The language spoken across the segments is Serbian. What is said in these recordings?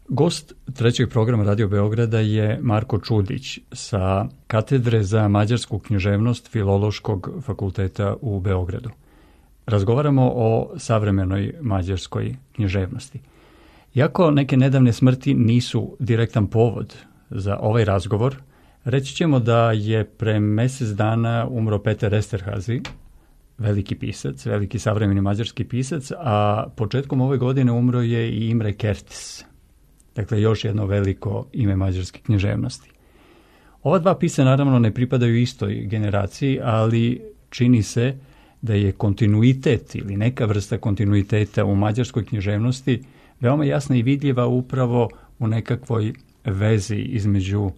Gost trećeg programa Radio Beograda je Marko Čudić sa katedre za mađarsku književnost Filološkog fakulteta u Beogradu. Razgovaramo o savremenoj mađarskoj književnosti. Iako neke nedavne smrti nisu direktan povod za ovaj razgovor, reći ćemo da je pre mesec dana umro Peter Esterhazy, veliki pisac, veliki savremeni mađarski pisac, a početkom ove godine umro je i Imre Kertész. Dakle, još jedno veliko ime mađarske književnosti. Ova dva pisca naravno ne pripadaju istoj generaciji, ali čini se da je kontinuitet ili neka vrsta kontinuiteta u mađarskoj književnosti veoma jasna i vidljiva upravo u nekakvoj vezi između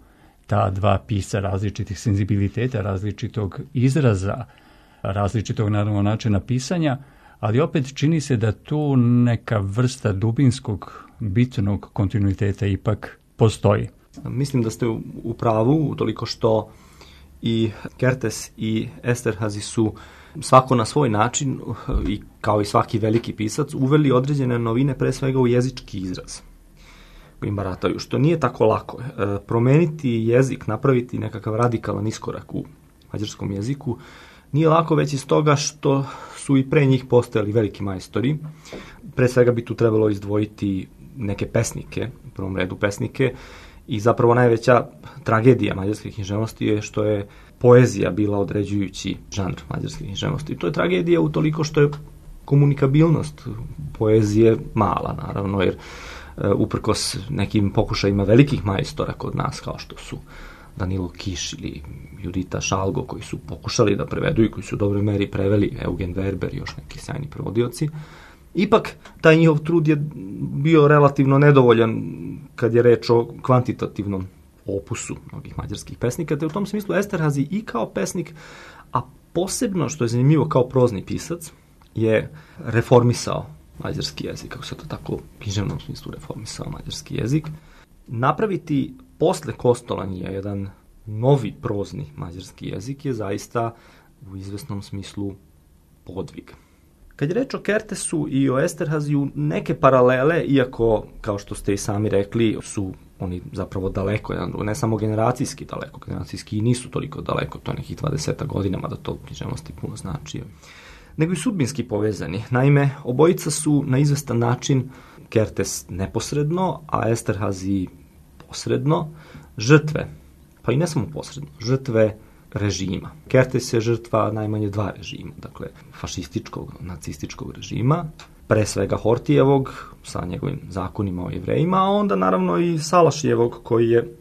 ta dva pisca različitih senzibiliteta, različitog izraza, različitog naravno načina pisanja, ali opet čini se da tu neka vrsta dubinskog, bitnog kontinuiteta ipak postoji. Mislim da ste u pravu, utoliko što i Kertész i Esterhazy su svako na svoj način, i kao i svaki veliki pisac, uveli određene novine, pre svega u jezički izraz kojim barataju, što nije tako lako. Promeniti jezik, napraviti nekakav radikalan iskorak u mađarskom jeziku, nije lako već iz toga što su i pre njih postojali veliki majstori. Pre svega bi tu trebalo izdvojiti neke pesnike, u prvom redu pesnike, i zapravo najveća tragedija mađarske književnosti je što je poezija bila određujući žanr mađarske književnosti. I to je tragedija utoliko što je komunikabilnost poezije mala, naravno, jer uprkos nekim pokušajima velikih majstora kod nas, kao što su Danilo Kiš ili Judita Šalgo, koji su pokušali da prevedu i koji su u dobroj meri preveli, Eugen Werber i još neki sjajni prevodioci, ipak taj njihov trud je bio relativno nedovoljan kad je reč o kvantitativnom opusu mnogih mađarskih pesnika, te u tom smislu Esterhazy i kao pesnik, a posebno, što je zanimljivo, kao prozni pisac, je reformisao mađarski jezik, kako se to tako u književnom smislu reformisao mađarski jezik. Napraviti posle Kostolanja jedan novi prozni mađarski jezik je zaista u izvesnom smislu podvig. Kad je reč o Kertészu i o Esterhazyju, neke paralele, iako, kao što ste i sami rekli, su oni zapravo daleko, ne samo generacijski daleko, generacijski i nisu toliko daleko, to je nekih 20 godina, mada to u književnosti puno znači, nego i sudbinski povezani. Naime, obojica su na izvestan način, Kertész neposredno, a Esterhazy posredno, žrtve, pa i ne samo posredno, žrtve režima. Kertész je žrtva najmanje dva režima, dakle fašističkog, nacističkog režima, pre svega Hortijevog sa njegovim zakonima o Jevrejima, a onda naravno i Salašijevog koji je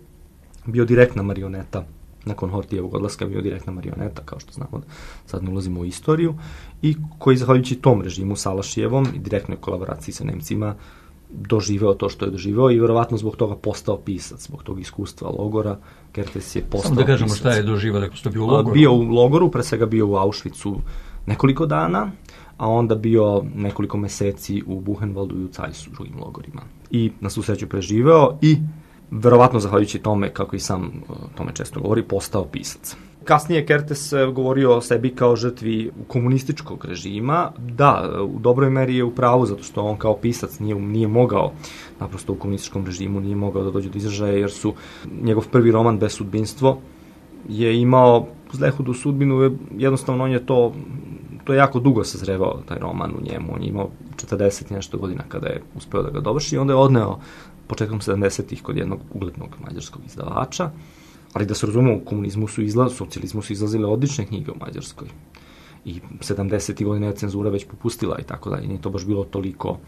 bio direktna marioneta, nakon Hortijevog odlaska bio direktna marioneta, kao što znamo, sad ne ulazimo u istoriju, i koji zahvaljujući tom režimu Salašijevom i direktnoj kolaboraciji sa Nemcima doživeo to što je doživeo i verovatno zbog toga postao pisac, zbog tog iskustva logora. Kertész je postao pisac. Samo da kažemo šta je doživeo, rekao ste bio u logoru. Bio u logoru, pre svega bio u Auschwitzu nekoliko dana, a onda bio nekoliko meseci u Buchenwaldu i u Zeissu, drugim logorima. I na svu sreću preživeo i verovatno zahvaljujući tome, kako i sam tome često govori, postao pisac. Kasnije Kertész govorio o sebi kao žrtvi komunističkog režima. Da, u dobroj meri je u pravu, zato što on kao pisac nije mogao, naprosto u komunističkom režimu nije mogao da dođe do izražaja, jer su njegov prvi roman Bez sudbinstvo je imao zlehudu sudbinu, jednostavno on je to je jako dugo sazrevao taj roman u njemu, on je imao 40 i nešto godina kada je uspeo da ga dovrši i onda je odneo početkom 70-ih kod jednog uglednog mađarskog izdavača, ali da se razumemo, u socijalizmu su izlazile odlične knjige u Mađarskoj i 70-ih godina je cenzura već popustila i tako dalje, nije to baš bilo toliko,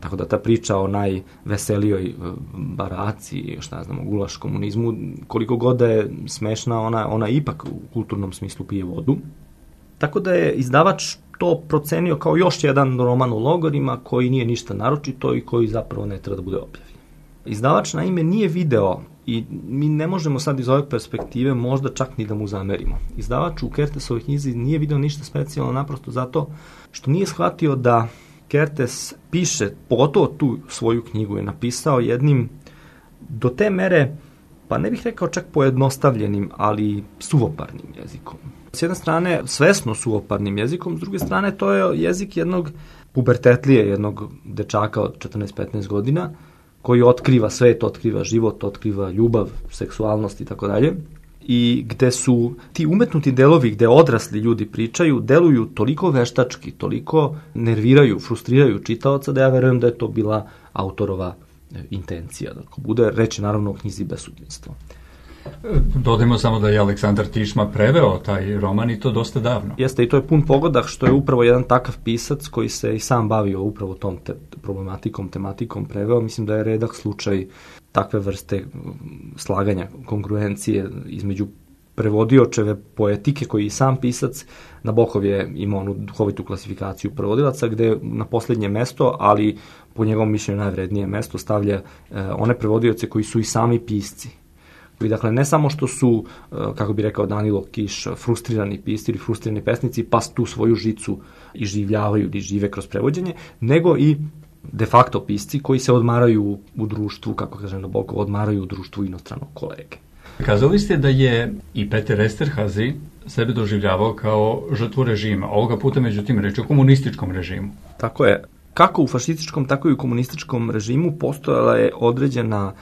tako da ta priča o najveselijoj baraci, šta znamo, gulaš komunizmu, koliko god da je smešna, ona ipak u kulturnom smislu pije vodu. Tako da je izdavač to procenio kao još jedan roman u logorima koji nije ništa naročito i koji zapravo ne treba da bude objavljen. Izdavač naime nije video, i mi ne možemo sad iz ove perspektive možda čak ni da mu zamerimo. Izdavač u Kertészovoj knjizi nije video ništa specijalno, naprosto zato što nije shvatio da Kertész piše, pogotovo tu svoju knjigu je napisao jednim do te mere, pa ne bih rekao čak pojednostavljenim, ali suvoparnim jezikom. S jedne strane svesno suvoparnim jezikom, s druge strane to je jezik jednog pubertetlije, jednog dečaka od 14-15 godina, koji otkriva svet, otkriva život, otkriva ljubav, seksualnost i tako dalje. I gde su ti umetnuti delovi gde odrasli ljudi pričaju, deluju toliko veštački, toliko nerviraju, frustriraju čitaoca da ja verujem da je to bila autorova intencija. Da bude reći naravno o knjizi Besudinstvo. Dodajmo samo da je Aleksandar Tišma preveo taj roman i to dosta davno. Jeste, i to je pun pogodak što je upravo jedan takav pisac koji se i sam bavio upravo tom tematikom preveo. Mislim da je redak slučaj takve vrste slaganja, kongruencije između prevodiočeve poetike koji je i sam pisac. Nabokov je imao onu duhovitu klasifikaciju prevodilaca gde na poslednje mesto, ali po njegovom mišljenju najvrednije mesto stavlja one prevodioce koji su i sami pisci. I dakle, ne samo što su, kako bi rekao Danilo Kiš, frustrirani pisci ili frustrirani pesnici, pa tu svoju žicu iživljavaju ili žive kroz prevođenje, nego i de facto pisci koji se odmaraju u društvu, kako kaže Nabokov, odmaraju u društvu inostranog kolege. Kazali ste da je i Peter Esterhazy sebe doživljavao kao žrtvu režima. Ovoga puta, međutim, reč o komunističkom režimu. Tako je. Kako u fašističkom, tako i u komunističkom režimu postojala je određena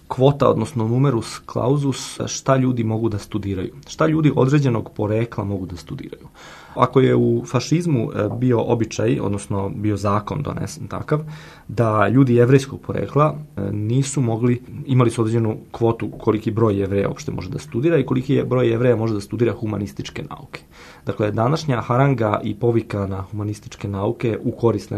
kvota, odnosno numerus clausus, šta ljudi mogu da studiraju. Šta ljudi određenog porekla mogu da studiraju. Ako je u fašizmu bio običaj, odnosno bio zakon donesen takav, da ljudi jevrejskog porekla nisu mogli, imali su određenu kvotu koliki broj Jevreja uopšte može da studira i koliki je broj Jevreja može da studira humanističke nauke. Dakle, današnja haranga i povika na humanističke nauke u korist,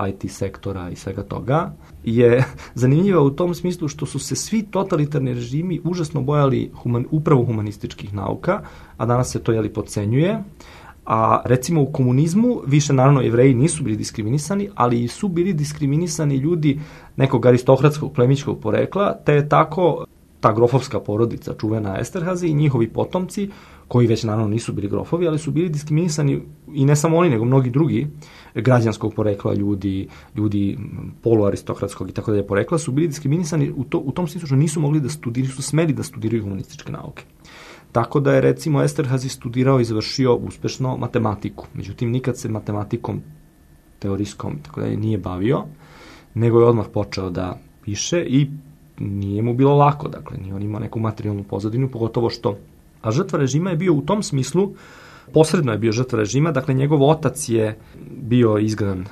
IT sektora i svega toga, je zanimljiva u tom smislu što su se svi totalitarni režimi užasno bojali upravo humanističkih nauka, a danas se to podcenjuje. A recimo u komunizmu više naravno Jevreji nisu bili diskriminisani, ali su bili diskriminisani ljudi nekog aristokratskog plemićkog porekla, te je tako ta grofovska porodica čuvena Esterhazy i njihovi potomci, koji već naravno nisu bili grofovi, ali su bili diskriminisani i ne samo oni, nego mnogi drugi građanskog porekla ljudi poluaristokratskog i tako dalje porekla su bili diskriminisani u tom smislu što nisu mogli da studiraju, su smeli da studiraju humanističke nauke. Tako da je recimo Esterhazy studirao i završio uspešno matematiku. Međutim, nikad se matematikom teorijskom tako da nije bavio, nego je odmah počeo da piše i nije mu bilo lako, dakle, nije on imao neku materijalnu pozadinu, pogotovo što, a žrtva režima je bio u tom smislu, posredno je bio žrtva režima, dakle, njegov otac je bio izgnan,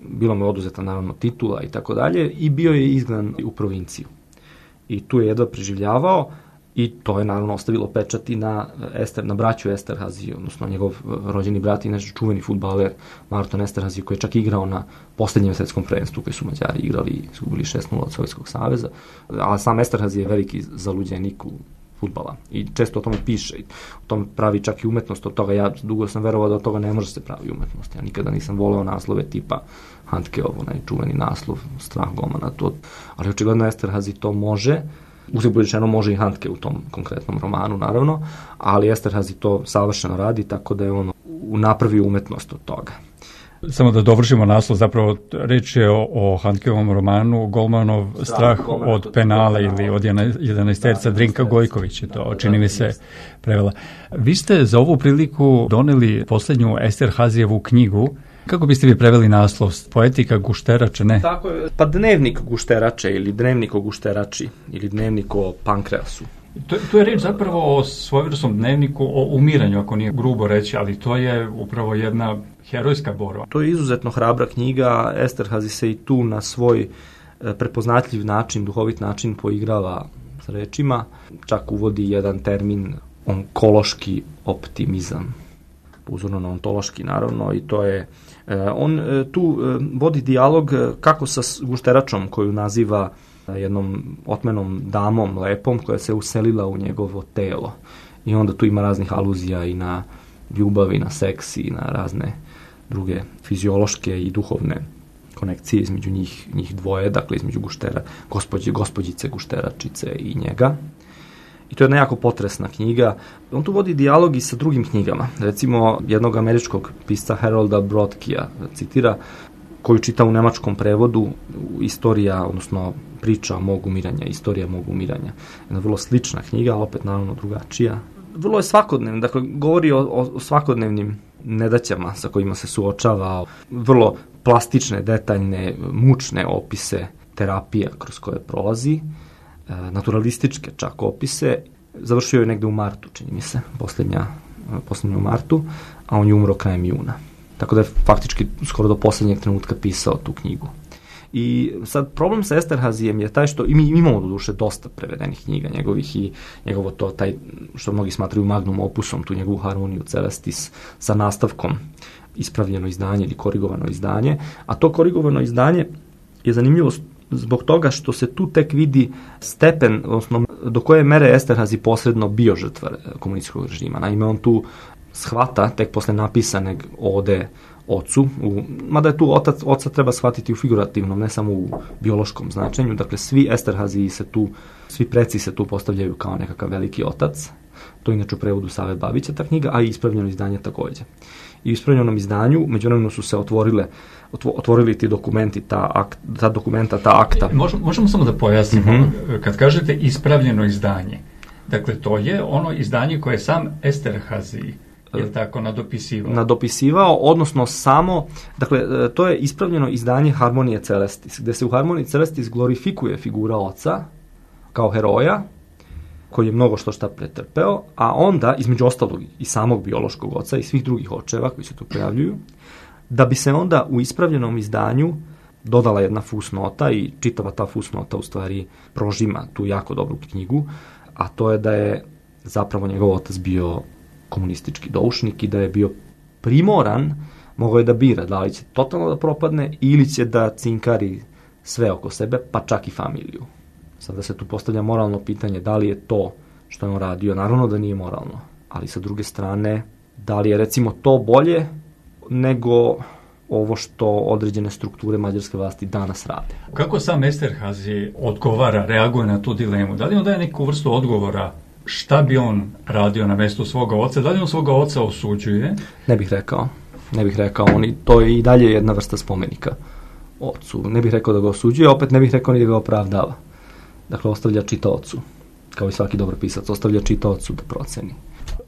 bilo mu je oduzeta naravno titula i tako dalje, i bio je izgnan u provinciju. I tu je jedva preživljavao, i to je naravno ostavilo pečat i na braću Esterhazy, odnosno njegov rođeni brat i naš čuveni fudbaler Marton Esterhazy, koji je čak igrao na poslednjem svetskom prvenstvu koji su Mađari igrali i izgubili 6-0 od Sovjetskog saveza. Ali sam Esterhazy je veliki zaluđenik u fudbala i često o tome piše i o tome pravi čak i umetnost od toga. Ja dugo sam verovao da od toga ne može se pravi umetnost. Ja nikada nisam voleo naslove tipa Handkeov, onaj čuveni naslov Strah Gomana, ali očigledno Esterhazy to može. Uzgled rečeno može i Handke u tom konkretnom romanu, naravno, ali Esterhazy to savršeno radi, tako da je on napravio umetnost od toga. Samo da dovršimo naslov, zapravo reč je o Handkeovom romanu Golmanov strah od penala ili od 11-terca Drinka Gojković je to, čini mi se, prevela. Vi ste za ovu priliku doneli poslednju Esterhazyjevu knjigu. Kako biste vi preveli naslov? Poetika gušterače, ne? Tako je, pa dnevnik gušterače ili dnevnik o gušterači ili dnevnik o pankreasu. To je reč zapravo o svojevrsnom dnevniku o umiranju, ako nije grubo reći, ali to je upravo jedna herojska borba. To je izuzetno hrabra knjiga. Esterhazy se i tu na svoj prepoznatljiv način, duhovit način poigrava s rečima. Čak uvodi jedan termin onkološki optimizam. Uzorno na ontološki, naravno, i to je on tu vodi dijalog kako sa gušteračom koju naziva jednom otmenom damom lepom koja se uselila u njegovo telo. I onda tu ima raznih aluzija i na ljubav i na seks i na razne druge fiziološke i duhovne konekcije između njih dvoje, dakle između gospođice gušteračice i njega. I to je jedna jako potresna knjiga. On tu vodi dijalog i sa drugim knjigama. Recimo, jednog američkog pisca Harolda Brodkija citira, koju čita u nemačkom prevodu, istorija, odnosno priča mog umiranja, istorija mog umiranja. Jedna vrlo slična knjiga, opet naravno drugačija. Vrlo je svakodnevna, dakle, govori o svakodnevnim nedaćama sa kojima se suočava, vrlo plastične, detaljne, mučne opise terapija kroz koje prolazi, naturalističke čak opise. Završio je negde u martu, čini mi se, poslednja u martu, a on je umro krajem juna. Tako da je faktički skoro do poslednjeg trenutka pisao tu knjigu. I sad problem sa Esterhazyjem je taj što mi imamo do duše dosta prevedenih knjiga njegovih i njegovo to, taj što mnogi smatraju magnum opusom, tu njegovu Harmoniju Celestis sa nastavkom, ispravljeno izdanje ili korigovano izdanje, a to korigovano izdanje je zanimljivo zbog toga što se tu tek vidi stepen, odnosno do koje mere Esterhazy posredno bio žrtva komunističkog režima. Naime, on tu shvata tek posle napisanog ode ocu, mada je tu oca treba shvatiti u figurativnom, ne samo u biološkom značenju. Dakle, svi Esterhazy svi preci se tu postavljaju kao nekakav veliki otac. To je inače u prevodu Save Babića ta knjiga, a i ispravljeno izdanje takođe. I u ispravljenom izdanju, međuvremeno su se otvorili ti dokumenti, ta akta. Možemo samo da pojasnimo, kad kažete ispravljeno izdanje, dakle, to je ono izdanje koje je sam Esterhazy je tako nadopisivao, odnosno samo, dakle, to je ispravljeno izdanje Harmonije Celestis, gde se u Harmoniji Celestis glorifikuje figura oca kao heroja, koji je mnogo šta pretrpeo, a onda, između ostalog i samog biološkog oca i svih drugih očeva koji se tu pojavljuju, da bi se onda u ispravljenom izdanju dodala jedna fusnota i čitava ta fusnota u stvari prožima tu jako dobru knjigu, a to je da je zapravo njegov otac bio komunistički doušnik i da je bio primoran, mogao je da bira da li će totalno da propadne ili će da cinkari sve oko sebe, pa čak i familiju. Sada se tu postavlja moralno pitanje da li je to što je on radio, naravno da nije moralno, ali sa druge strane, da li je recimo to bolje nego ovo što određene strukture mađarske vlasti danas rade. Kako sam Esterhazy odgovara, reaguje na tu dilemu? Da li on daje neku vrstu odgovora šta bi on radio na mestu svoga oca? Da li on svoga oca osuđuje? Ne bih rekao. To je i dalje jedna vrsta spomenika ocu. Ne bih rekao da ga osuđuje, opet ne bih rekao ni da ga opravdava. Dakle, ostavlja čitaocu, kao i svaki dobar pisac, ostavlja čitaocu da proceni.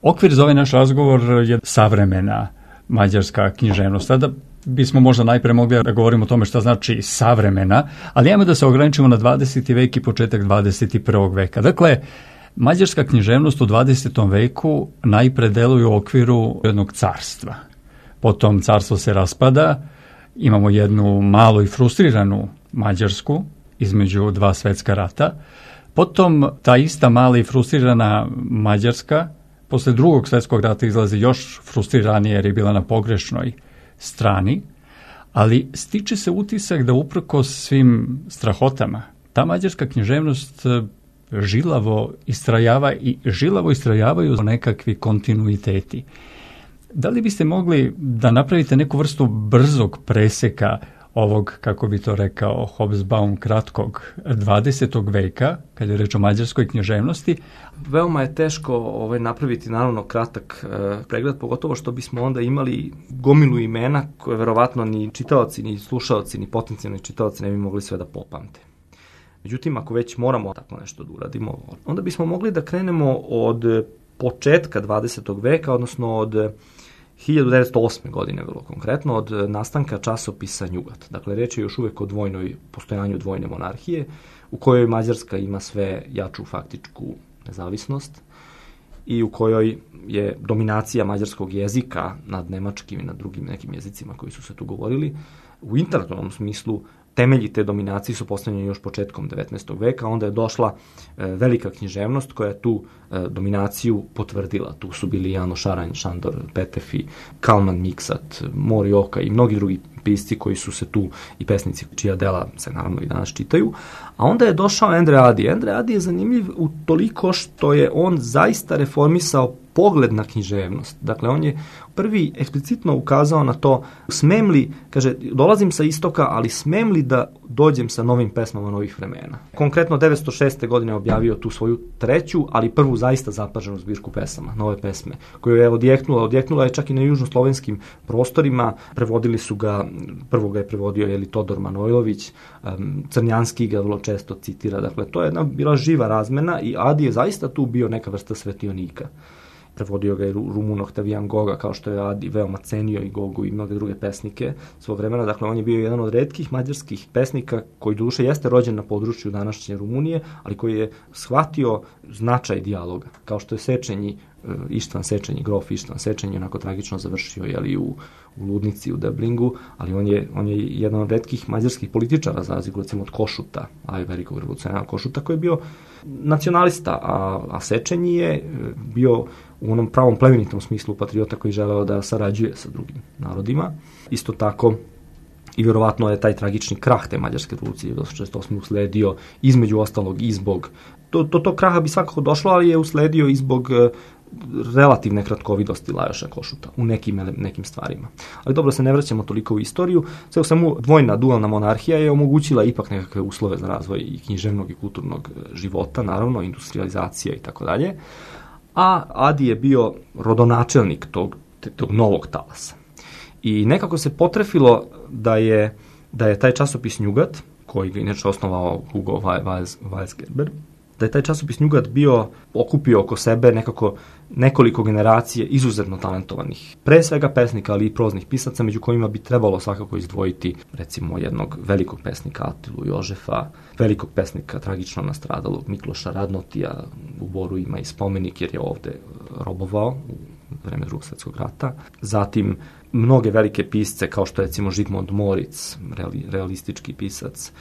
Okvir za ovaj naš razgovor je savremena mađarska književnost. Sada bismo možda najpre mogli da govorimo o tome šta znači savremena, ali ajmo da se ograničimo na 20. vek i početak 21. veka. Dakle, mađarska književnost u 20. veku najpre deluje u okviru jednog carstva. Potom carstvo se raspada, imamo jednu malu i frustriranu Mađarsku između dva svetska rata. Potom ta ista mala i frustrirana Mađarska posle drugog svetskog rata izlazi još frustriranije jer je bila na pogrešnoj strani, ali stiče se utisak da uprkos svim strahotama ta mađarska književnost žilavo istrajavaju nekakvi kontinuiteti. Da li biste mogli da napravite neku vrstu brzog preseka ovog, kako bi to rekao Hobsbawm, kratkog 20. veka, kada je reč o mađarskoj književnosti? Veoma je teško napraviti naravno kratak pregled, pogotovo što bismo onda imali gomilu imena koje verovatno ni čitaoci, ni slušaoci, ni potencijalni čitaoci ne bi mogli sve da popamte. Međutim, ako već moramo tako nešto da uradimo, onda bismo mogli da krenemo od početka 20. veka, odnosno od 1908. godine, vrlo konkretno, od nastanka časopisa Njugat. Dakle, reč je još uvek o postojanju dvojne monarhije, u kojoj Mađarska ima sve jaču faktičku nezavisnost i u kojoj je dominacija mađarskog jezika nad nemačkim i nad drugim nekim jezicima koji su se tu govorili. U intelektualnom smislu temelji te dominacije su postavljeni još početkom 19. veka, onda je došla velika književnost koja je tu dominaciju potvrdila. Tu su bili Jano Šaranj, Šandor Petefi, Kalman Miksat, Mori Oka i mnogi drugi pisci koji su se tu i pesnici čija dela se naravno i danas čitaju. A onda je došao Endre Adi. Endre Adi je zanimljiv u toliko što je on zaista reformisao pogled na književnost. Dakle, on je prvi eksplicitno ukazao na to, smem li, kaže, dolazim sa istoka, ali smem li da dođem sa novim pesmama novih vremena. Konkretno 1906. godine objavio tu svoju treću, ali prvu zaista zapaženu zbirku pesama, nove pesme, koju je odjeknula je čak i na južnoslovenskim prostorima, prevodili su ga, prvo ga je prevodio Todor Manojlović, Crnjanski ga vrlo često citira, dakle, to je jedna bila živa razmena i Adi je zaista tu bio neka vrsta svetionika. prevodio ga je Rumun Octavian Goga, kao što je Adi veoma cenio i Gogu i mnoge druge pesnike svog vremena. Dakle, on je bio jedan od retkih mađarskih pesnika koji doduše jeste rođen na području današnje Rumunije, ali koji je shvatio značaj dijaloga, kao što je Sečenji, Ištvan Sečenji, grof Ištvan Sečenji, onako tragično završio u ludnici u Deblingu, ali on je jedan od retkih mađarskih političara, za razliku recimo od Košuta, velikog revolucionara Košuta, koji je bio nacionalista, a Sečenji je bio u onom pravom plemenitom smislu patriota koji želeo da sarađuje sa drugim narodima. Isto tako i vjerovatno je taj tragični krah te mađarske revolucije 1968. usledio između ostalog i zbog do kraha bi svakako došlo, ali je usledio i zbog relativne kratkovidosti Lajoša Košuta u nekim stvarima. Ali dobro, se ne vraćamo toliko u istoriju. Sve u svemu, dvojna dualna monarhija je omogućila ipak nekakve uslove za razvoj i književnog i kulturnog života, naravno, industrializacija i tako dalje. A Adi je bio rodonačelnik tog novog talasa. I nekako se potrefilo da je taj časopis Njugat, koji ga inače osnovao Hugo Weisgerber, da je taj časopis Njugat okupio oko sebe nekoliko generacije izuzetno talentovanih, pre svega pesnika, ali i proznih pisaca, među kojima bi trebalo svakako izdvojiti recimo jednog velikog pesnika Atilu Jožefa, velikog pesnika tragično nastradalog Mikloša Radnotija, u Boru ima i spomenik jer je ovde robovao u vreme Drugog svjetskog rata. Zatim mnoge velike pisce kao što je recimo Žigmund Moritz, realistički pisac,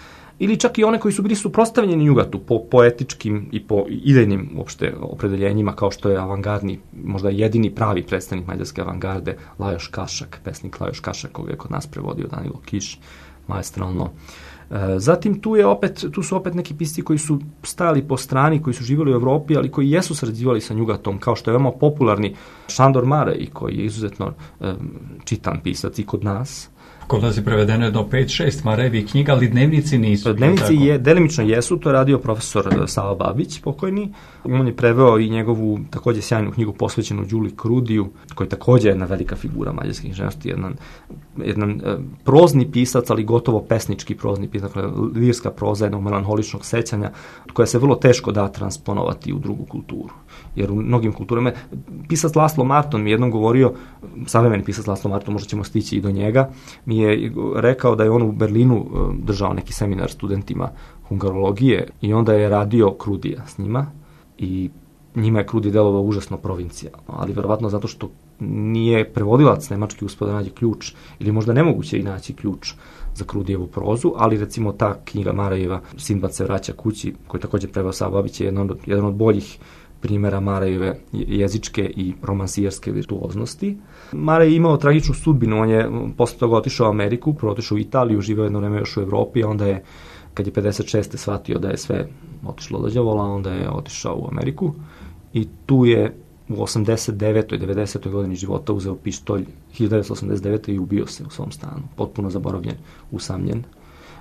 ili čak i one koji su bili suprotstavljeni Njugatu po poetičkim i po idejnim uopšte opredeljenjima, kao što je avangardni, možda jedini pravi predstavnik mađarske avangarde, Lajoš Kašak, pesnik Lajoš Kašak, koga je kod nas prevodio Danilo Kiš, maestralno. Zatim tu su opet neki pisci koji su stajali po strani, koji su živjeli u Evropi, ali koji jesu sarađivali sa Njugatom, kao što je veoma popularni Šandor Marej, koji je izuzetno čitan pisac i kod nas. Kod nas je prevedeno jedno 5-6 Marejevih knjiga, ali dnevnici nisu. Dnevnici delimično jesu, to je radio profesor Sava Babić, pokojni. On je preveo i njegovu takođe sjajnu knjigu posvećenu Đuli Krudiju, koji je takođe jedna velika figura mađarske književnosti, jedan prozni pisac, ali gotovo pesnički prozni pisac, dakle lirska proza jednog melanholičnog sećanja, koja se vrlo teško da transponovati u drugu kulturu. Jer u mnogim kulturama, pisac Laslo Marton mi jednom govorio, savremeni pisac Laslo Marton, možda ćemo stići i do njega, mi je rekao da je on u Berlinu držao neki seminar studentima hungarologije i onda je radio Krudija s njima i njima je Krudi delovao užasno provincijalno, ali verovatno zato što nije prevodilac nemački uspeo da nađe ključ, ili možda nemoguće i naći ključ za Krudijevu prozu, ali recimo ta knjiga Marejeva Sindbad se vraća kući, koji takođe preveo Sava Babić, je jedan od boljih primjera Marejeve jezičke i romansijerske virtuoznosti. Marej je imao tragičnu sudbinu, on je posle toga otišao u Ameriku, otišao u Italiju, živeo jedno vreme još u Evropi, a onda je, kad je 56. shvatio da je sve otišlo do đavola, onda je otišao u Ameriku i tu je u 89. i 90. godini života uzeo pištolj 1989. i ubio se u svom stanu, potpuno zaboravljen, usamljen.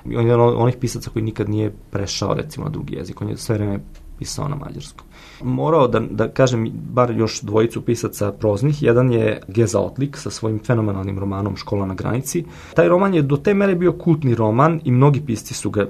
On je jedan od onih pisaca koji nikad nije prešao recimo na drugi jezik, on je sve vreme pisao na mađarskom. Morao da kažem bar još dvojicu pisaca proznih. Jedan je Geza Otlik sa svojim fenomenalnim romanom Škola na granici. Taj roman je do te mere bio kultni roman i mnogi pisci su ga,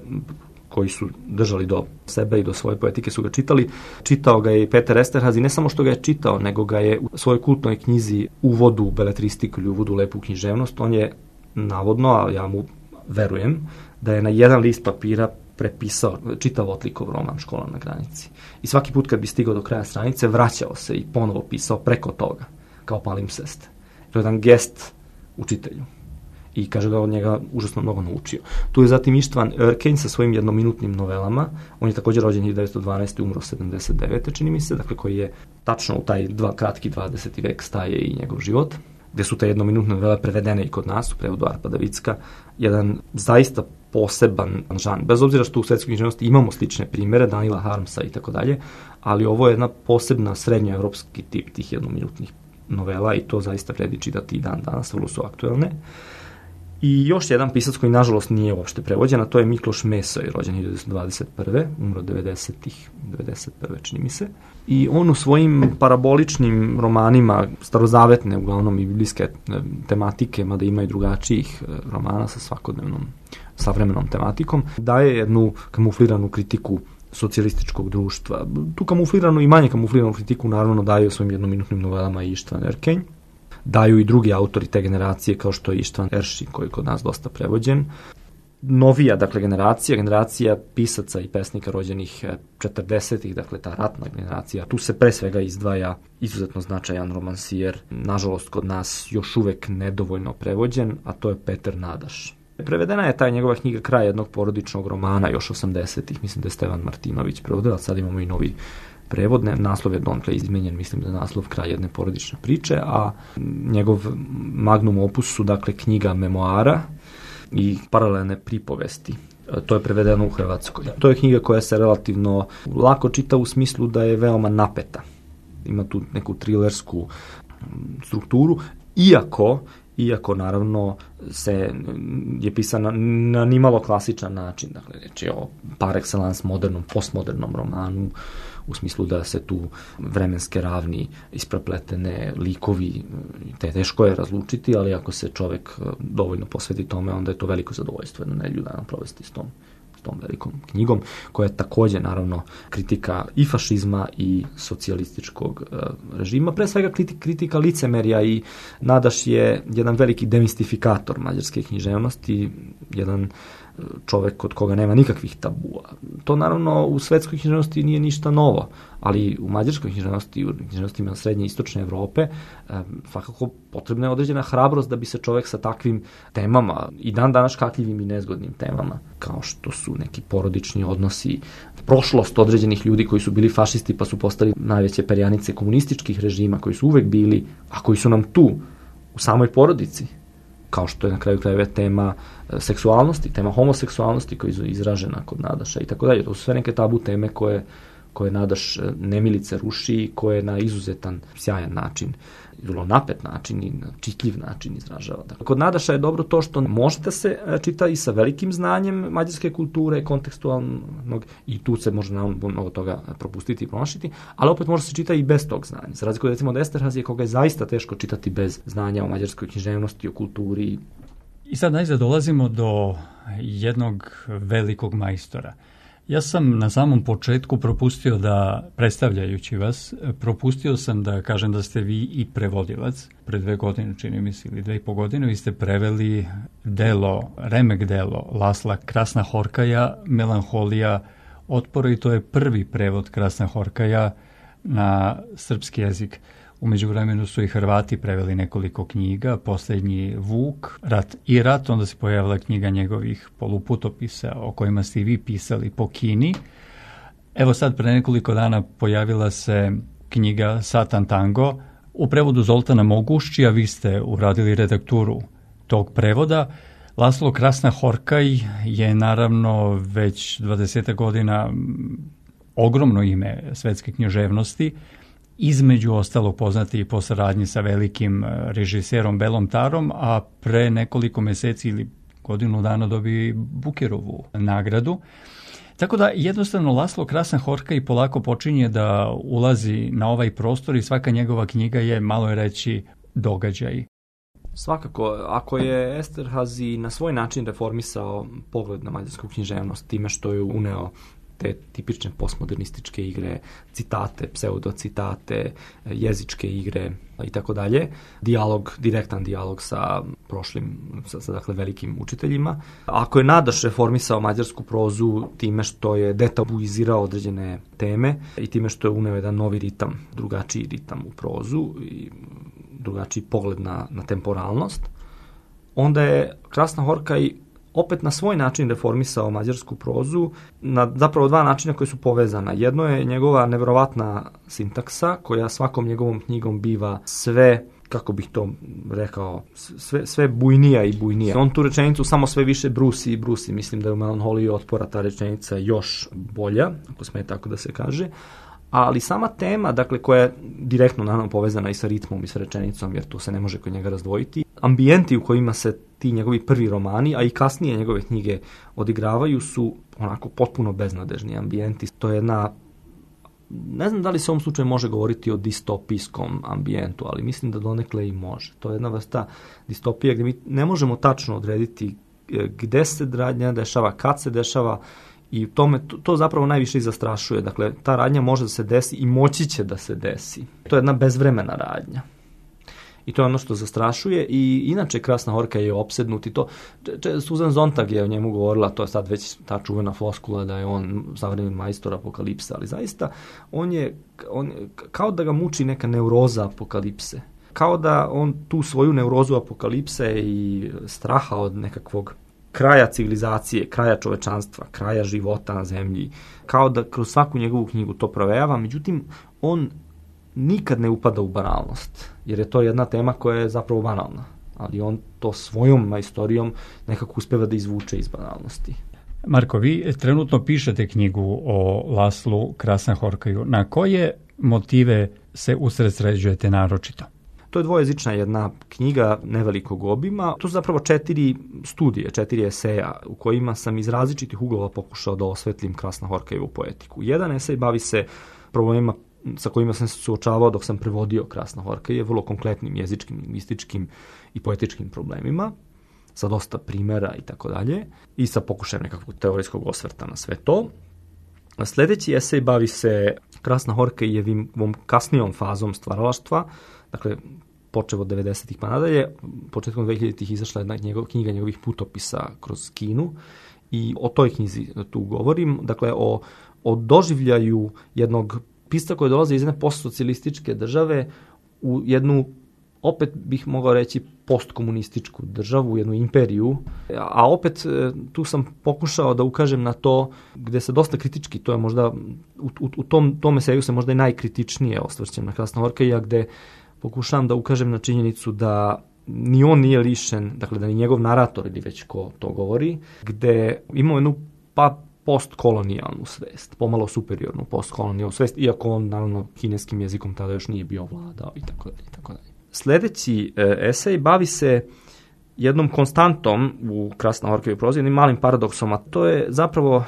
koji su držali do sebe i do svoje poetike, su ga čitali. Čitao ga je i Peter Esterhazy, ne samo što ga je čitao, nego ga je u svojoj kultnoj knjizi Uvodu u beletristiku ili Uvodu u lepu književnost, on je navodno, a ja mu verujem, da je na jedan list papira prepisao, čitao Otlikov roman Škola na granici. I svaki put kad bi stigao do kraja stranice, vraćao se i ponovo pisao preko toga, kao palimpsest. To je jedan gest učitelju. I kaže da od njega užasno mnogo naučio. Tu je zatim Ištvan Örkenj sa svojim jednominutnim novelama. On je također rođen 1912. umro 79. čini mi se, dakle koji je tačno u taj kratki 20. vek staje i njegov život, gde su te jednominutne novele prevedene i kod nas u prevodu Arpada Vicka. Jedan zaista poseban žan, bez obzira što u svetskoj književnosti imamo slične primere, Danila Harmsa i tako dalje, ali ovo je jedna posebna srednjoevropski tip tih jednominutnih novela i to zaista vredi čitati i dan danas, vrlo su aktuelne. I još jedan pisac koji nažalost nije uopšte prevođen, a to je Mikloš Mesoj, rođen 1921. umro 90-ih, 91. čini mi se. I on u svojim paraboličnim romanima, starozavetne uglavnom i biblijske tematike, mada ima i drugačijih romana sa svakodnevnom savremenom tematikom, daje jednu kamufliranu kritiku socijalističkog društva. Tu kamufliranu i manje kamufliranu kritiku naravno daju svojim jednominutnim novelama i Ištvan Erkenj. Daju i drugi autori te generacije kao što je Ištvan Eršin koji je kod nas dosta prevođen. Novija, dakle, generacija pisaca i pesnika rođenih 40-ih, dakle, ta ratna generacija. Tu se pre svega izdvaja izuzetno značajan romansijer, nažalost kod nas još uvek nedovoljno prevođen, a to je Peter Nadaš. Prevedena je ta njegova knjiga Kraj jednog porodičnog romana još 80-ih, mislim da je Stevan Martinović prevodila, sad imamo i novi prevod, naslov je donekle izmenjen, mislim da je naslov Kraj jedne porodične priče, a njegov magnum opus su, dakle, knjiga memoara i paralelne pripovesti. To je prevedeno u Hrvatskoj. To je knjiga koja se relativno lako čita u smislu da je veoma napeta. Ima tu neku trilersku strukturu, iako naravno je pisana na nimalo klasičan način. Dakle, reč je o par excellence modernom, postmodernom romanu, u smislu da se tu vremenske ravni isprepletene likovi, teško je razlučiti, ali ako se čovek dovoljno posveti tome, onda je to veliko zadovoljstvo jedno nedelju dana provesti s tom velikom knjigom, koja je takođe, naravno, kritika i fašizma i socijalističkog režima. Pre svega kritika licemerja i Nadaš je jedan veliki demistifikator mađarske književnosti, jedan čovek kod koga nema nikakvih tabua. To naravno u svetskoj književnosti nije ništa novo, ali u mađarskoj književnosti, u književnostima srednje i istočne Evrope, svakako potrebna je određena hrabrost da bi se čovek sa takvim temama, i dan danas škakljivim i nezgodnim temama, kao što su neki porodični odnosi, prošlost određenih ljudi koji su bili fašisti pa su postali najveće perjanice komunističkih režima, koji su uvek bili, a koji su nam tu, u samoj porodici, kao što je na kraju krajeva tema seksualnosti, tema homoseksualnosti koja je izražena kod Nadaša i tako dalje. To su sve neke tabu teme koje Nadaš nemilice ruši, koje na izuzetan, sjajan način, vrlo napet način i čitljiv način izražava. Dakle, kod Nadaša je dobro to što može da se čita i sa velikim znanjem mađarske kulture, kontekstualnog, i tu se može mnogo toga propustiti i promašiti, ali opet može se čita i bez tog znanja. Za razliku recimo od Esterhazije, koga je zaista teško čitati bez znanja o mađarskoj književnosti, o kulturi. I sad najzad dolazimo do jednog velikog majstora. Ja sam na samom početku propustio da, predstavljajući vas, propustio sam da kažem da ste vi i prevodilac. Pre 2 godine, čini mi se, ili 2,5 godine, vi ste preveli remek delo Lasla Krasna Horkaja, Melanholija otpora, i to je prvi prevod Krasna Horkaja na srpski jezik. U međuvremenu su i Hrvati preveli nekoliko knjiga, posljednji Vuk, Rat i rat, onda se pojavila knjiga njegovih poluputopisa o kojima ste i vi pisali po Kini. Evo sad, pre nekoliko dana pojavila se knjiga Satan Tango u prevodu Zoltana Moguščija. Vi ste uradili redakturu tog prevoda. Laslo Krasna Horkaj je naravno već 20 godina ogromno ime svetske književnosti, između ostalog poznati i po saradnji sa velikim režiserom Belom Tarom, a pre nekoliko meseci ili godinu dana dobio Bukerovu nagradu. Tako da jednostavno Laslo Krasna Horkaj polako počinje da ulazi na ovaj prostor i svaka njegova knjiga je, malo je reći, događaj. Svakako, ako je Esterhazy na svoj način reformisao pogled na mađarsku književnost time što je uneo te tipične postmodernističke igre, citate, pseudocitate, jezičke igre i tako dalje, direktan dijalog sa prošlim, sa dakle velikim učiteljima. Ako je Nadaš reformisao mađarsku prozu time što je detabuizirao određene teme i time što je uneo jedan novi ritam, drugačiji ritam u prozu i drugačiji pogled na temporalnost, onda je Krasna Horkaj opet na svoj način reformisao mađarsku prozu na zapravo 2 načina koji su povezana. Jedno je njegova neverovatna sintaksa, koja svakom njegovom knjigom biva sve, kako bih to rekao, sve bujnija i bujnija. On tu rečenicu samo sve više brusi i brusi. Mislim da je u Melanholiji otpora ta rečenica još bolja, ako sme tako da se kaže. Ali sama tema, dakle, koja je direktno naravno povezana i sa ritmom i sa rečenicom, jer to se ne može kod njega razdvojiti. Ambijenti u kojima se ti njegovi prvi romani, a i kasnije njegove knjige odigravaju, su onako potpuno beznadežni ambijenti. To je jedna, ne znam da li se u ovom slučaju može govoriti o distopijskom ambijentu, ali mislim da donekle i može. To je jedna vrsta distopije gdje mi ne možemo tačno odrediti gde se radnja dešava, kad se dešava I to zapravo najviše i zastrašuje. Dakle, ta radnja može da se desi i moći će da se desi. To je jedna bezvremena radnja. I to je ono što zastrašuje i inače Krasna Horka je opsednut i to. Susan Sontag je o njemu govorila, to je sad već ta čuvena floskula da je on savremeni majstor apokalipse, ali zaista on je kao da ga muči neka neuroza apokalipse. Kao da on tu svoju neurozu apokalipse i straha od nekakvog kraja civilizacije, kraja čovečanstva, kraja života na zemlji, kao da kroz svaku njegovu knjigu to provejava, međutim, on nikad ne upada u banalnost, jer je to jedna tema koja je zapravo banalna, ali on to svojom majstorijom nekako uspeva da izvuče iz banalnosti. Marko, vi trenutno pišete knjigu o Laslu Krasnahorkaju. Na koje motive se usredsređujete naročito? To je dvojezična jedna knjiga nevelikog obima. To su zapravo 4 studije, 4 eseja u kojima sam iz različitih uglova pokušao da osvetlim Krasnahorkajevu poetiku. Jedan esej bavi se problemima sa kojima sam se suočavao dok sam prevodio Krasnahorkaje, vrlo konkretnim jezičkim, lingvističkim i poetičkim problemima, sa dosta primjera i tako dalje, i sa pokušajem nekakvog teorijskog osvrta na sve to. Sljedeći esej bavi se Krasnahorkajevom kasnijom fazom stvaralaštva, dakle, počeo od 90-ih pa nadalje, početkom 2000-ih izašla jedna knjiga njegovih putopisa kroz Kinu i o toj knjizi tu govorim, dakle, o doživljaju jednog pisca koji dolaze iz jedne postsocijalističke države u jednu, opet bih mogao reći, postkomunističku državu, jednu imperiju, a opet tu sam pokušao da ukažem na to gde se dosta kritički, to je možda, u tom eseju se možda i najkritičnije osvrćem na Krasnahorkaja, gde pokušavam da ukažem na činjenicu da ni on nije lišen, dakle da ni njegov narator ili već ko to govori, gde imamo jednu postkolonijalnu svest, pomalo superiornu postkolonijalnu svest, iako on naravno kineskim jezikom tada još nije bio vladao i tako dalje, i tako dalje. Sljedeći esej bavi se jednom konstantom u Krasnahorkajevoj prozi, jednim malim paradoksom, a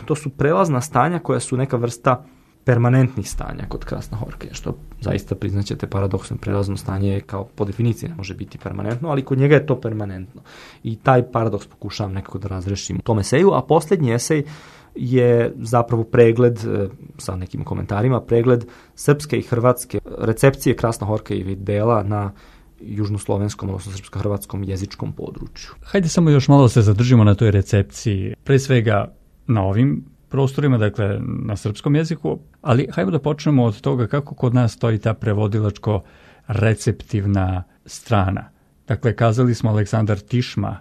to su prelazna stanja koja su neka vrsta permanentnih stanja kod Krasnahorkaja, što zaista priznaćete paradoksom, prelazno stanje kao po definiciji ne može biti permanentno, ali kod njega je to permanentno. I taj paradoks pokušavam nekako da razrešim u tom eseju, a posljednji esej je zapravo pregled, sa nekim komentarima, pregled srpske i hrvatske recepcije Krasnahorkajevih dela na južnoslovenskom, odnosno srpsko-hrvatskom jezičkom području. Hajde samo još malo se zadržimo na toj recepciji, pre svega na ovim prostorima, dakle na srpskom jeziku, ali hajde da počnemo od toga kako kod nas stoji ta prevodilačko-receptivna strana. Dakle, kazali smo Aleksandar Tišma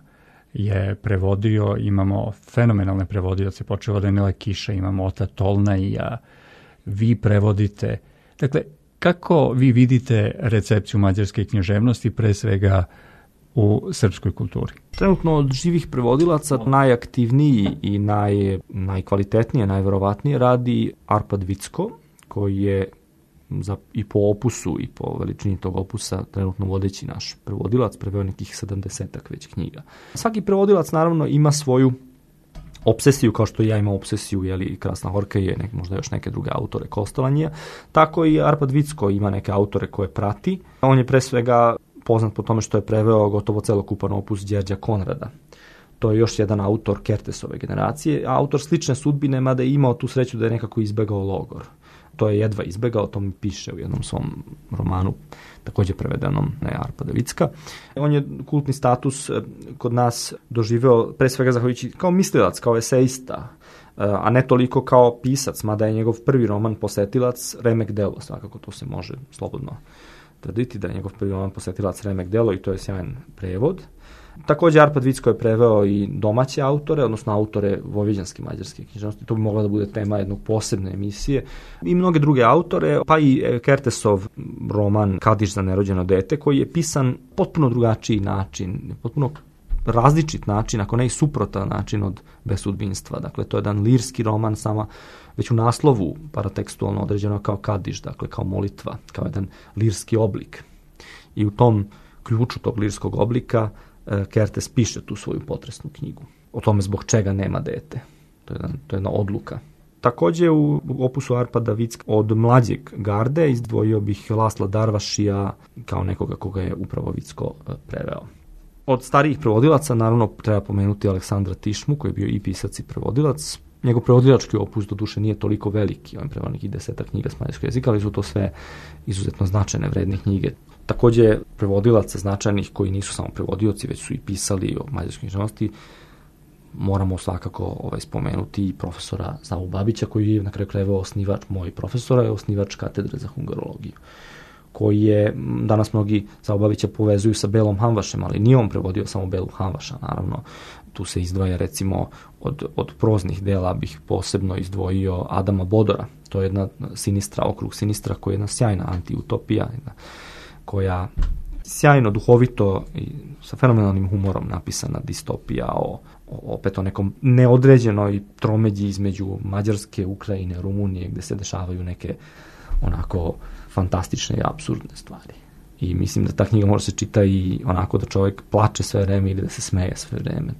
je prevodio, imamo fenomenalne prevodioce, počeo od Enela Kiša, imamo Ota Tolnaija, vi prevodite. Dakle, kako vi vidite recepciju mađarske književnosti, pre svega u srpskoj kulturi? Trenutno od živih prevodilaca najaktivniji i najkvalitetnije, najverovatnije radi Arpad Vicko, koji je i po opusu i po veličini tog opusa trenutno vodeći naš prevodilac, preveo nekih 70-ak već knjiga. Svaki prevodilac naravno ima svoju obsesiju, kao što ja imam obsesiju, Krasnahorkaje, možda još neke druge autore Kostolanija, tako i Arpad Vicko ima neke autore koje prati. On je pre svega poznat po tome što je preveo gotovo celokupan opus Đerđa Konrada. To je još jedan autor Kertesove generacije, a autor slične sudbine, mada je imao tu sreću da je nekako izbegao logor. To je jedva izbegao, to mi piše u jednom svom romanu, također prevedenom na Arpada Vicka. On je kultni status kod nas doživeo pre svega zahvaljujući kao mislilac, kao esejista, a ne toliko kao pisac, mada je njegov prvi roman Posetilac remek delo, svakako to se može slobodno tvrditi da je njegov prvi roman Posetilac remek delo i to je sjajan prevod. Također Arpad Vicko je preveo i domaće autore, odnosno autore vojvođanske mađarske književnosti. To bi mogla da bude tema jednog posebne emisije. I mnoge druge autore, pa i Kertesov roman Kadiš za nerođeno dete, koji je pisan potpuno drugačiji način, potpuno različit način, ako ne i suprotan način od Besudbinstva. Dakle, to je jedan lirski roman, sama već u naslovu paratekstualno određeno kao Kadiš, dakle kao molitva, kao jedan lirski oblik. I u tom ključu tog lirskog oblika Kertes piše tu svoju potresnu knjigu o tome zbog čega nema dete. To je jedna odluka. Također u opusu Arpada Vicka od mlađeg garde izdvojio bih Lasla Darvašija kao nekoga koga je upravo Vicko preveo. Od starijih prevodilaca naravno treba pomenuti Aleksandra Tišmu, koji je bio i pisac i prevodilac. Njegov prevodilački opus do duše nije toliko veliki, on je preveo nekih 10 knjiga s mađarskog jezika, ali su to sve izuzetno značajne, vredne knjige. Takođe, prevodilaca značajnih koji nisu samo prevodioci, već su i pisali o mađarskoj književnosti, moramo svakako spomenuti i profesora Savu Babića, koji je na kraju krajeva osnivač, moj profesora je osnivač katedre za hungarologiju, koji je, danas mnogi Savu Babića povezuju sa Belom Hamvašem, ali nije on prevodio samo Belu Hamvaša, naravno. Tu se izdvaja, recimo, od proznih dela bih posebno izdvojio Adama Bodora. To je jedna Sinistra, Okrug Sinistra, koja je jedna sjajna antiutopija, koja sjajno, duhovito i sa fenomenalnim humorom napisana distopija opet o nekom neodređenoj tromeđi između Mađarske, Ukrajine, Rumunije, gde se dešavaju neke onako fantastične i apsurdne stvari. I mislim da ta knjiga može se čita i onako da čovjek plače sve vreme ili da se smeje sve vreme,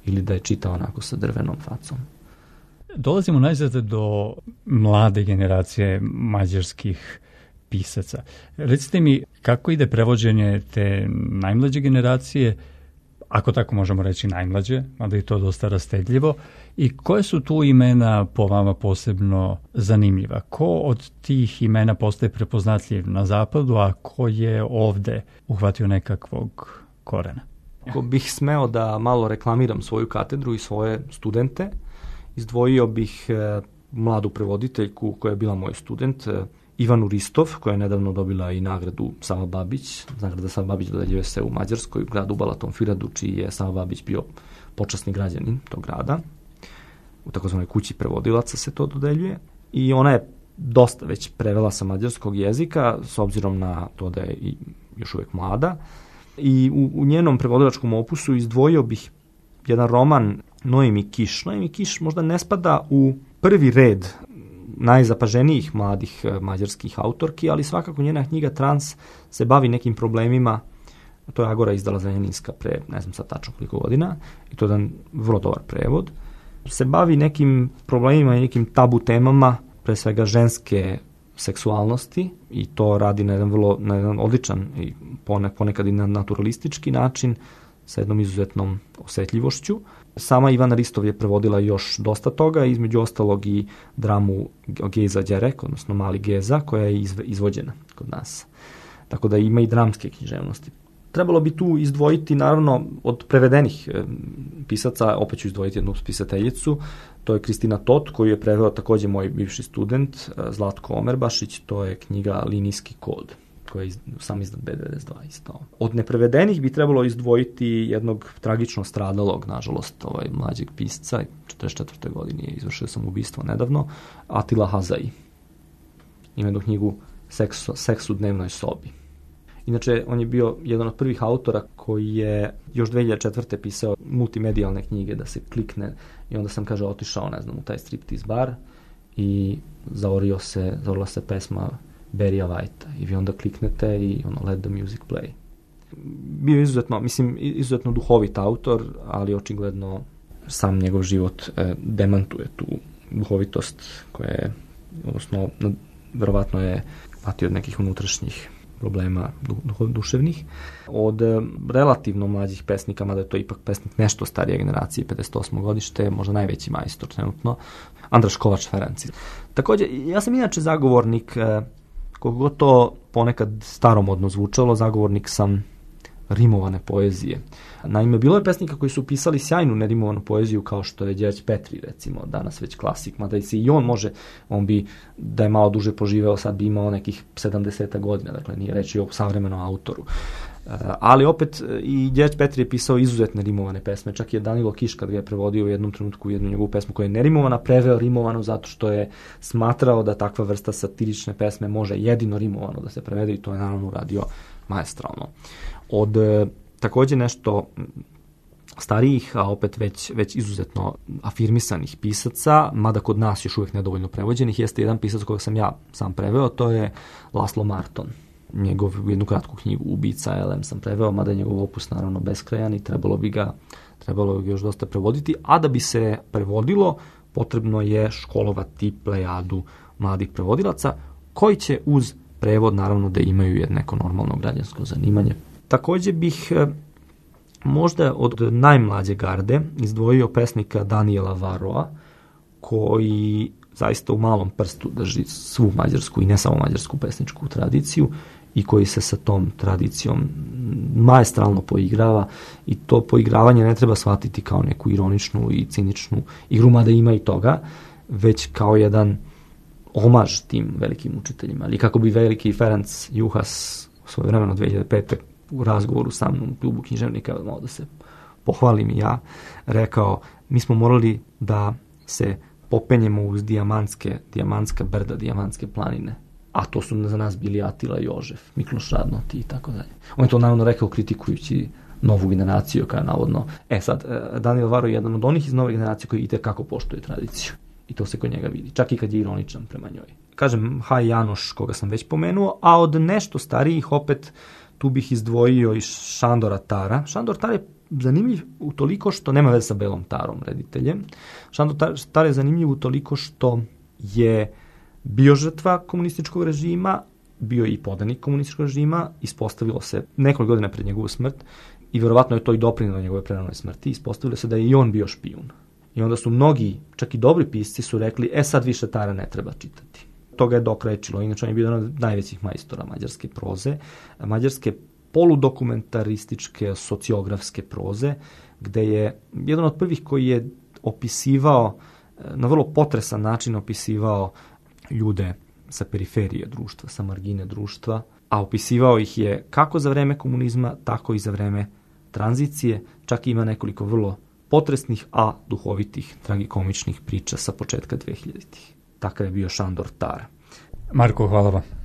ili da je čita onako sa drvenom facom. Dolazimo najzad do mlade generacije mađarskih pisaca. Recite mi, kako ide prevođenje te najmlađe generacije, ako tako možemo reći najmlađe, mada je to dosta rastedljivo, i koje su tu imena po vama posebno zanimljiva? Ko od tih imena postaje prepoznatljiv na zapadu, a ko je ovde uhvatio nekakvog korena? Ako bih smeo da malo reklamiram svoju katedru i svoje studente, izdvojio bih mladu prevoditeljku koja je bila moj student, Ivanu Ristov, koja je nedavno dobila i nagradu Sava Babić. Nagrada Sava Babić dodeljuje se u Mađarskoj, u gradu Balaton Firadu, čiji je Sava Babić bio počasni građanin tog grada. U takozvanoj kući prevodilaca se to dodeljuje. I ona je dosta već prevela sa mađarskog jezika, s obzirom na to da je i još uvijek mlada. I u njenom prevodilačkom opusu izdvojio bih jedan roman Noemi Kiš. Noemi Kiš možda ne spada u prvi red najzapaženijih mladih mađarskih autorki, ali svakako njena knjiga Trans se bavi nekim problemima, to je Agora izdala Zrenjaninska pre, ne znam sad tačno koliko godina, i to je jedan vrlo dobar prevod, se bavi nekim problemima i nekim tabu temama, pre svega ženske seksualnosti, i to radi na jedan odličan i ponekad i na naturalistički način, sa jednom izuzetnom osetljivošću. Sama Ivana Ristov je prevodila još dosta toga, između ostalog i dramu Geza Đerek, odnosno Mali Geza, koja je izvođena kod nas. Tako da ima i dramske književnosti. Trebalo bi tu izdvojiti, naravno, od prevedenih pisaca, opet ću izdvojiti jednu pisateljicu, to je Kristina Tot, koju je preveo takođe moj bivši student, Zlatko Omerbašić, to je knjiga Linijski kod, koja je sam izdan B92 isto. Od neprevedenih bi trebalo izdvojiti jednog tragično stradalog, nažalost, mlađeg pisca, 44. godine je izvršio samoubistvo nedavno, Atila Hazai. Ima jednu knjigu Seks u dnevnoj sobi. Inače, on je bio jedan od prvih autora koji je još 2004. pisao multimedijalne knjige da se klikne i onda sam, kaže, otišao, ne znam, u taj striptease bar i zaorila se pesma Barrya Whitea i vi onda kliknete i let the music play. Bio izuzetno duhovit autor, ali očigledno sam njegov život demantuje tu duhovitost koja je, odnosno, verovatno je patio od nekih unutrašnjih problema duševnih. Od relativno mlađih pesnika, mada je to ipak pesnik nešto starije generacije, 58. godište, možda najveći majstor trenutno, Andraš Kovač Ferenci. Takođe, ja sam inače zagovornik, koliko god to ponekad staromodno zvučalo, zagovornik sam rimovane poezije. Naime, bilo je pesnika koji su pisali sjajnu nerimovanu poeziju, kao što je Đerđ Petri, recimo, danas već klasik, mada i on može, on bi, da je malo duže poživeo, sad bi imao nekih 70 godina, dakle nije reći o savremenom autoru. Ali opet i Đerđ Petri je pisao izuzetne rimovane pesme, čak je Danilo Kiš, kad ga je prevodio u jednom trenutku jednu njegovu pesmu koja je nerimovana, preveo rimovanu zato što je smatrao da takva vrsta satirične pesme može jedino rimovano da se prevede i to je naravno uradio maestralno. Od takođe nešto starijih, a opet već izuzetno afirmisanih pisaca, mada kod nas još uvijek nedovoljno prevođenih, jeste jedan pisac kojeg sam ja sam preveo, to je Laslo Marton. Jednu kratku knjigu Ubica Elem sam preveo, mada je njegov opus naravno beskrajan i trebalo bi ga još dosta prevoditi, a da bi se prevodilo, potrebno je školovati plejadu mladih prevodilaca, koji će uz prevod naravno da imaju neko normalno građansko zanimanje. Takođe bih možda od najmlađe garde izdvojio pesnika Daniela Varoa, koji zaista u malom prstu drži svu mađarsku i ne samo mađarsku pesničku tradiciju i koji se sa tom tradicijom maestralno poigrava, i to poigravanje ne treba shvatiti kao neku ironičnu i ciničnu igru, mada ima i toga, već kao jedan omaž tim velikim učiteljima. Ali kako bi veliki Ferenc Juhas svojevremeno 2005. u razgovoru sa mnom u klubu književnika, malo da se pohvalim i ja, rekao, mi smo morali da se popenjemo uz dijamantska brda, dijamantske planine. A to su za nas bili Atila i Jožef, Mikloš Radnoti i tako dalje. On je to naravno rekao kritikujući novu generaciju, koja je navodno... sad, Daniel Varo je jedan od onih iz nove generacije koji itekako poštuje tradiciju. I to se kod njega vidi, čak i kad je ironičan prema njoj. Kažem, Haj Janoš, koga sam već pomenuo, a od nešto starijih opet tu bih izdvojio i Šandora Tara. Šandor Tar je zanimljiv utoliko što nema veze sa Belom Tarom, rediteljem. Šandor Tar je zanimljiv utoliko što je bio žrtva komunističkog režima, bio i podanik komunističkog režima, ispostavilo se nekoliko godina pred njegovu smrt i verovatno je to i doprinelo njegove preranoj smrti, ispostavilo se da je i on bio špijun. I onda su mnogi, čak i dobri pisci, su rekli, sad više Tara ne treba čitati. Toga je dokrajčilo, inače on je bio jedan od najvećih majstora mađarske proze, mađarske poludokumentarističke, sociografske proze, gde je jedan od prvih koji je opisivao, na vrlo potresan način opisivao ljude sa periferije društva, sa margine društva, a opisivao ih je kako za vreme komunizma, tako i za vreme tranzicije, čak ima nekoliko vrlo potresnih, a duhovitih, tragikomičnih priča sa početka 2000-ih. Takav je bio Šandor Tar. Marko, hvala vam.